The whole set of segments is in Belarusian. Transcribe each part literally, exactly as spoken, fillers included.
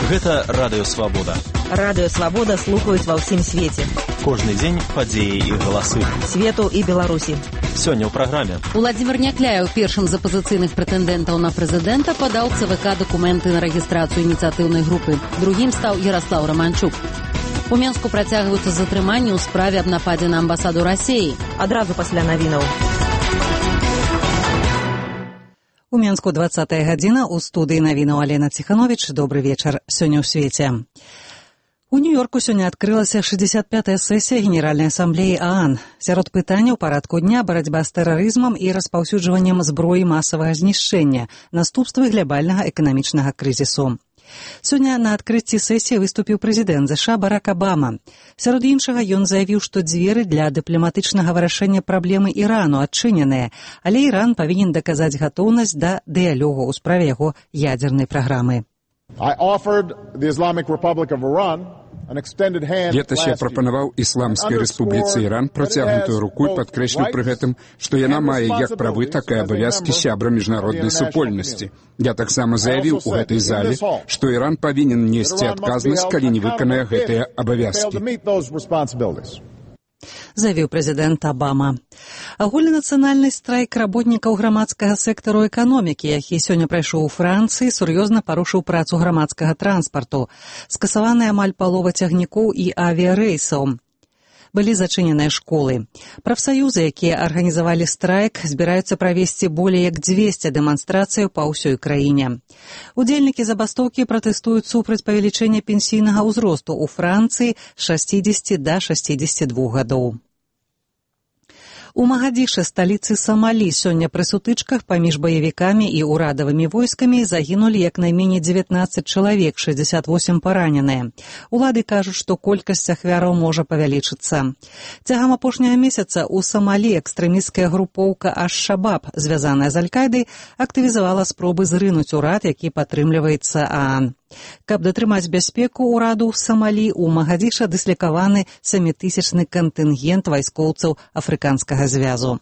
Гэта Радыё Свабода. Радыё Свабода слухаюць ва ўсім свеце. Кожны дзень падзеі і галасы. Свету і Беларусі. Сёння ў праграме. Уладзімір Някляеў, першым з апазіцыйных прэтэндэнтаў на прэзідэнта, падаў ЦВК дакументы на рэгістрацыю ініцыятыўнай групы. Другім стаў Яраслаў Раманчук. У Менску працягваюцца затрыманні ў справе аб нападзе на амбасаду Расіі. Адразу пасля навінаў. У Менску двадцатая гадзіна, у студыі навінаў Алена Ціхановіч. Добры вечар. Сёння ў свеце. У Нью-Йорку сёння адкрылася шэсцьдзесят пятая сесія Генеральнай асамблеі ААН. Сярод пытанняў парадку дня барацьба з тэрарызмам і распаўсюджваннем зброі масавага знішчэння, наступствы глобальнага эканамічнага крызісу. Сёння на адкрыцці сесіі выступіў прэзідэнт ЗША Барак Абама. Сярод іншага ён заявіў, што дзверы для дыпламатычнага вырашэння праблемы Ірану адчыненыя, але Іран павінен даказаць гатоўнасць да дыялогу ў справе яго ядзернай праграмы. Летась я прапанаваў Ісламскай Рэспубліцы Іран працягнутую руку і падкрэсліў пры гэтым, што яна мае як правы, так і абавязкі сябра міжнароднай супольнасці. Я таксама заявіў у гэтай зале, што Іран павінен несці адказнасць, калі не выканае гэтыя абавязкі. Заявіў прэзідэнт Абама. Агульнанацыянальны страйк работнікаў грамадскага сектару эканомікі, які сёння прайшоў у Францыі, сур'ёзна парушыў працу грамадскага транспарту. Скасаваны амаль палова цягнікоў і авіярэйсаў. Былі зачыненыя школы. Прафсаюзы, якія арганізавалі страйк, збіраюцца правесці болей як дзвесце дэманстрацыяў па ўсёй краіне. Удзельнікі забастоўкі пратэстуюць супраць павелічэння пенсійнага ўзросту ў Францыі з шасцідзесяці да шасцідзесяці двух гадоў. У Магадзішы, сталіцы Самалі, сёння пры сутычках паміж баевікамі і ўрадавымі войскамі загінулі як найменей дзевятнаццаць чалавек, шэсцьдзесят восем параненыя. Улады кажуць, што колькасць ахвяраў можа павялічыцца. Цягам апошняга месяца ў Самалі экстрэмісцкая групоўка Аш-Шабаб, звязаная з Аль-Кайдай, актывізавала спробы зрынуць урад, які падтрымліваецца ААН. Каб датрымаць бяспеку ўраду ў Самалі, у Магадзіша дыслякаваны сямітысячны кантынгент вайскоўцаў афрыканскага звязу.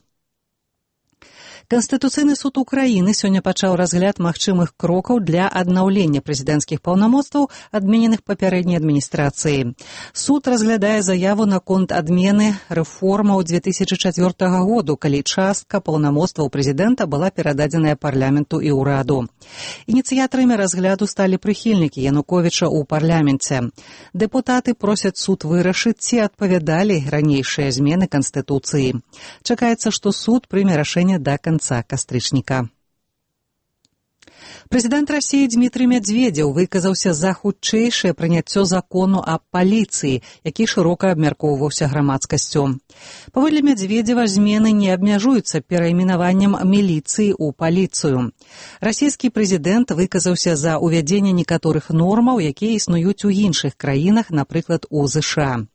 Канстытуцыйны суд Украіны сёння пачаў разгляд магчымых крокаў для аднаўлення прэзідэнцкіх паўнамоцтваў, адмененых папярэдняй адміністрацыі. Суд разглядае заяву наконт адмены рэформаў дзве тысячы чацвёртага году, калі частка паўнамоцтваў прэзідэнта была перададзеная парламенту і ўраду. Ініцыятарамі разгляду сталі прыхільнікі Януковіча ў парламенце. Дэпутаты просяць суд вырашыць, ці адпавядалі ранейшыя змены Канстытуцыі. Чакаецца, што суд прыме рашэнне да канца кастрычніка. Прэзідэнт Расіі Дмітрый Мядзведзеў выказаўся за хутчэйшае прыняццё закону аб паліцыі, які шырока абмяркоўваўся грамадскасцю. Паводле Мядзведзева, змены не абмяжуюцца перайменаваннем міліцыі ў паліцыю. Расійскі прэзідэнт выказаўся за ўвядзенне некаторых нормаў, якія існуюць у іншых краінах, напрыклад, у ЗША.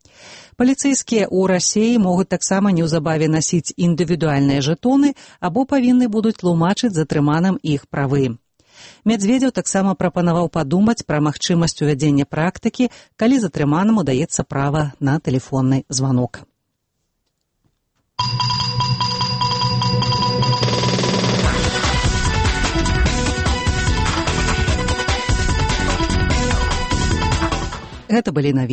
Паліцэйскія ў Расіі могуць таксама неўзабаве насіць індывідуальныя жэтоны або павінны будуць тлумачыць затрыманым іх правы. Мядзведзеў таксама прапанаваў падумаць пра магчымасць увядзення практыкі, калі затрыманаму даецца права на тэлефонны званок. Гэта былі навіны.